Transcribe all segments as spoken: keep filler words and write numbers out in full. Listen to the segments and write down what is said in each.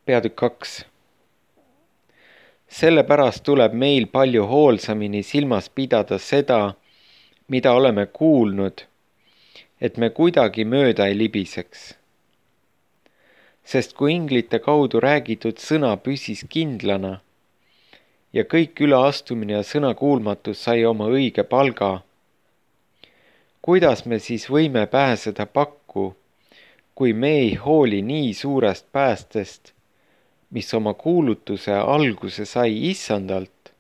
Peatükk kaks. Sellepärast tuleb meil palju hoolsamini silmas pidada seda, mida oleme kuulnud, et me kuidagi mööda ei libiseks. Sest kui inglite kaudu räägitud sõna püsis kindlana ja kõik üleastumine ja sõnakuulmatus sai oma õige palga, kuidas me siis võime pääseda pakku, kui me ei hooli nii suurest päästest, mis oma kuulutuse alguse sai issandalt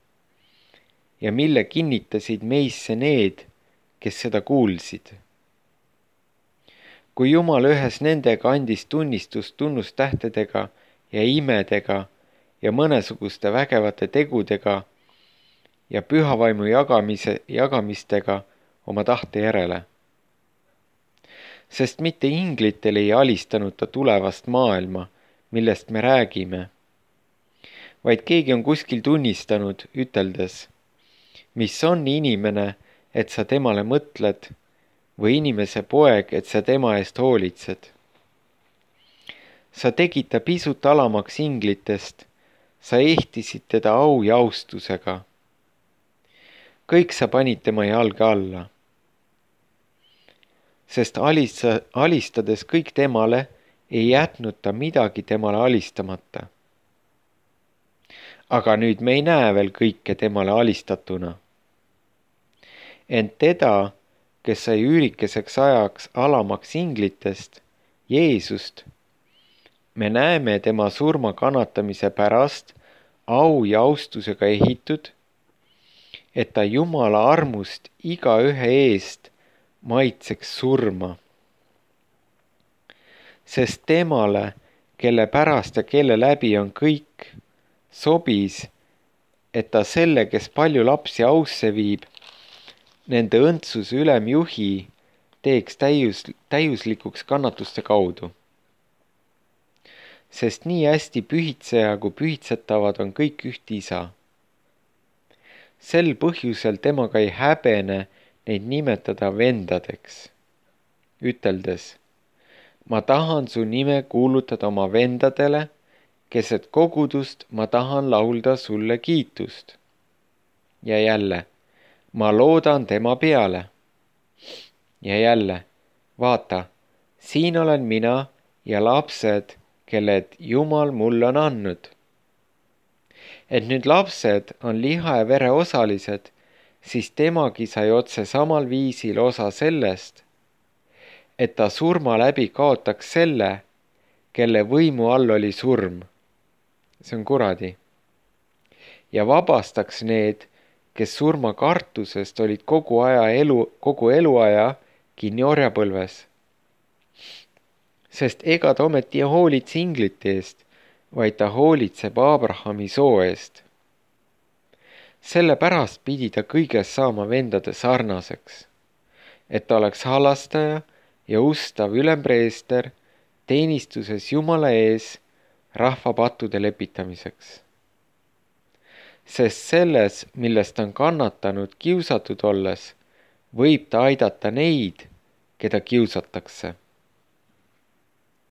ja mille kinnitasid meisse need, kes seda kuulsid. Kui Jumal ühes nendega andis tunnistust tunnustähtedega ja imedega ja mõnesuguste vägevate tegudega ja pühavaimu jagamise, jagamistega oma tahte järele. Sest mitte inglitel ei alistanud ta tulevast maailma, millest me räägime, vaid keegi on kuskil tunnistanud, üteldes, mis on inimene, et sa temale mõtled, või inimese poeg, et sa tema eest hoolitsed. Sa tegid ta pisut alamaks inglitest, sa ehtisid teda au ja austusega. Kõik sa panid tema jalge alla. Sest alista, alistades kõik temale, ei jätnud ta midagi temale alistamata. Aga nüüd me ei näe veel kõike temale alistatuna. Ent teda, kes sai üürikeseks ajaks alamaks inglitest, Jeesust, me näeme tema surma kannatamise pärast au ja austusega ehitud, et ta Jumala armust iga ühe eest maitseks surma. Sest temale, kelle pärast ja kelle läbi on kõik, sobis, et ta selle, kes palju lapsi ausse viib, nende õndsuse ülemjuhi teeks täius, täiuslikuks kannatuste kaudu. Sest nii hästi pühitseja kui pühitsetavad on kõik üht isa. Sel põhjusel temaga ei häbene neid nimetada vendadeks, üteldes, ma tahan su nime kuulutada oma vendadele, keset kogudust ma tahan laulda sulle kiitust. Ja jälle, ma loodan tema peale. Ja jälle, vaata, siin olen mina ja lapsed, kelled Jumal mulle on andnud. Et nüüd lapsed on liha ja vere osalised, siis temagi sai otse samal viisil osa sellest, et ta surma läbi kaotaks selle, kelle võimu all oli surm. See on kuradi. Ja vabastaks need, kes surma kartusest olid kogu aja elu, kogu eluaja kinni orjapõlves. Sest ega ta ometi ei hoolitse inglite eest, vaid ta hoolitseb Abrahami soo eest. Sellepärast pidi ta kõiges saama vendade sarnaseks, et ta oleks halastaja ja ustav ülempreester teenistuses Jumala ees rahva pattude lepitamiseks. Sest selles, millest ta on kannatanud kiusatud olles, võib ta aidata neid, keda kiusatakse.